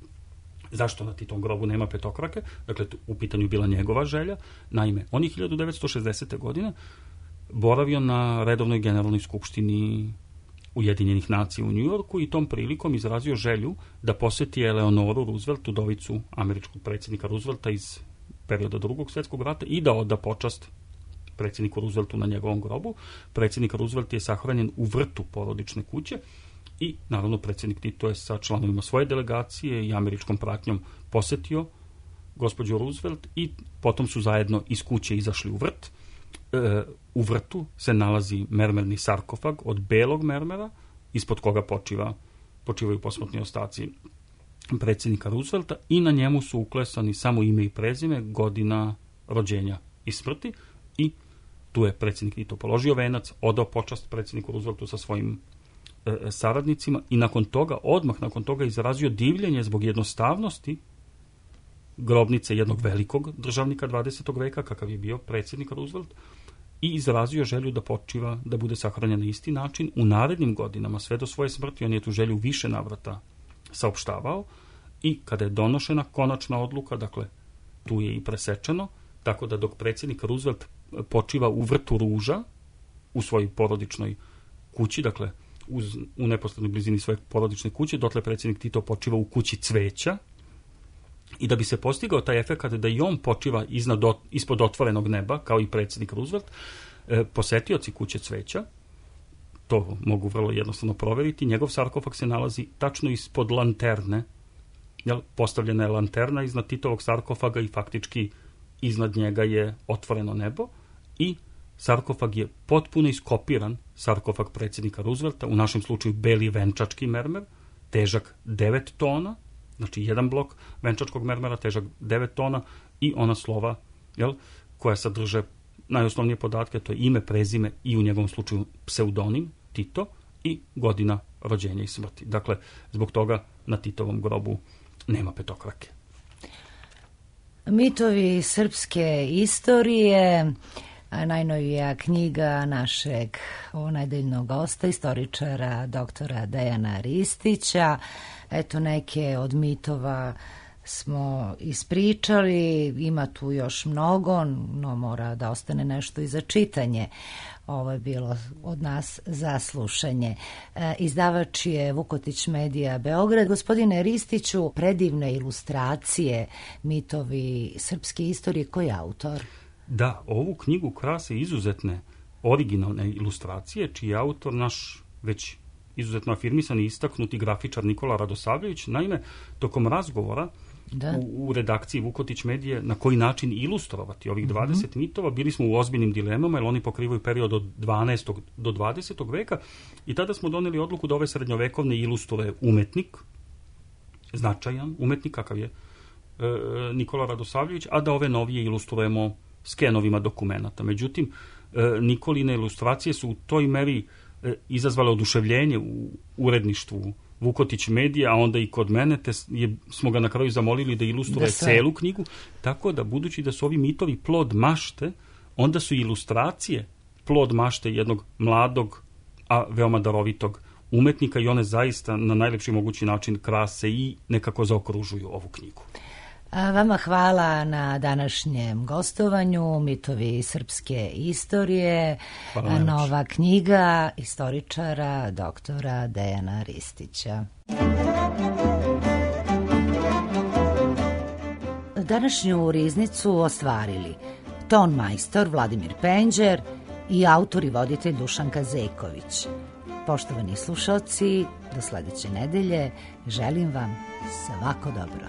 zašto na Titovom grobu nema petokrake? Dakle, u pitanju bila njegova želja. Naime, on je hiljadu devetsto šezdesete. godine boravio na redovnoj generalnoj skupštini Ujedinjenih nacija u Njujorku i tom prilikom izrazio želju da poseti Eleonoru Roosevelt, udovicu američkog predsjednika Roosevelta iz perioda Drugog svjetskog rata, i da oda počast predsjedniku Rooseveltu na njegovom grobu. Predsjednik Roosevelt je sahranjen u vrtu porodične kuće i naravno predsjednik Tito je sa članovima svoje delegacije i američkom pratnjom posetio gospođu Roosevelt i potom su zajedno iz kuće izašli u vrt. E, u vrtu se nalazi mermerni sarkofag od belog mermera, ispod koga počiva, počivaju posmrtni ostaci predsjednika Roosevelta i na njemu su uklesani samo ime i prezime, godina rođenja i smrti i tu je predsjednik Tito položio venac, odao počast predsjedniku Rooseveltu sa svojim e, saradnicima i nakon toga, odmah nakon toga izrazio divljenje zbog jednostavnosti grobnice jednog velikog državnika dvadesetog veka, kakav je bio predsjednik Roosevelt, i izrazio želju da počiva, da bude sahranjen na isti način. U narednim godinama, sve do svoje smrti, on je tu želju više navrata saopštavao i kada je donošena konačna odluka, dakle, tu je i presečeno, tako da dok predsjednik Roosevelt počiva u vrtu ruža, u svojoj porodičnoj kući, dakle, uz, u neposrednoj blizini svoje porodične kuće, dotle predsjednik Tito počiva u kući cveća, i da bi se postigao taj efekat da i on počiva iznad, ispod otvorenog neba, kao i predsjednik Roosevelt, e, posetioci kuće cveća, to mogu vrlo jednostavno proveriti, njegov sarkofag se nalazi tačno ispod lanterne, jel, postavljena je lanterna iznad Titovog sarkofaga i faktički iznad njega je otvoreno nebo i sarkofag je potpuno iskopiran sarkofag predsjednika Roosevelta, u našem slučaju beli venčački mermer, težak devet tona, znači jedan blok venčačkog mermera, težak devet tona i ona slova, jel, koja sadrže najosnovnije podatke, to je ime, prezime i u njegovom slučaju pseudonim Tito i godina rođenja i smrti. Dakle, zbog toga na Titovom grobu nema petokrake. Mitovi srpske istorije, najnovija knjiga našeg nedeljnog gosta, istoričara doktora Dejana Ristića. Eto, neke od mitova smo ispričali, ima tu još mnogo, no mora da ostane nešto i za čitanje. Ovo je bilo od nas za slušanje. E, izdavač je Vukotić Medija Beograd. Gospodine Ristiću, predivne ilustracije, mitovi srpske istorije, koji je autor? Da, ovu knjigu krase izuzetne originalne ilustracije, čiji je autor naš već izuzetno afirmisan i istaknuti grafičar Nikola Radosavljević. Naime, tokom razgovora da. U, u redakciji Vukotić Medije na koji način ilustrovati ovih dvadeset mm-hmm. mitova, bili smo u ozbiljnim dilemama, jer oni pokrivaju period od dvanaestog do dvadesetog veka i tada smo doneli odluku da ove srednjovekovne ilustruje umetnik, značajan umetnik kakav je e, Nikola Radosavljević, a da ove novije ilustrujemo skenovima dokumenata. Međutim, e, Nikoline ilustracije su u toj meri e, izazvale oduševljenje u uredništvu Vukotić Medija, a onda i kod mene, te je, smo ga na kraju zamolili da ilustruje da celu knjigu, tako da budući da su ovi mitovi plod mašte, onda su ilustracije plod mašte jednog mladog, a veoma darovitog umetnika i one zaista na najlepši mogući način krase i nekako zaokružuju ovu knjigu. A vama hvala na današnjem gostovanju, mitovi srpske istorije, nova knjiga istoričara doktora Dejana Ristića. današnju riznicu ostvarili ton majstor Vladimir Penđer i autor i voditelj Dušanka Zeković. Poštovani slušalci, do sledeće nedelje želim vam svako dobro.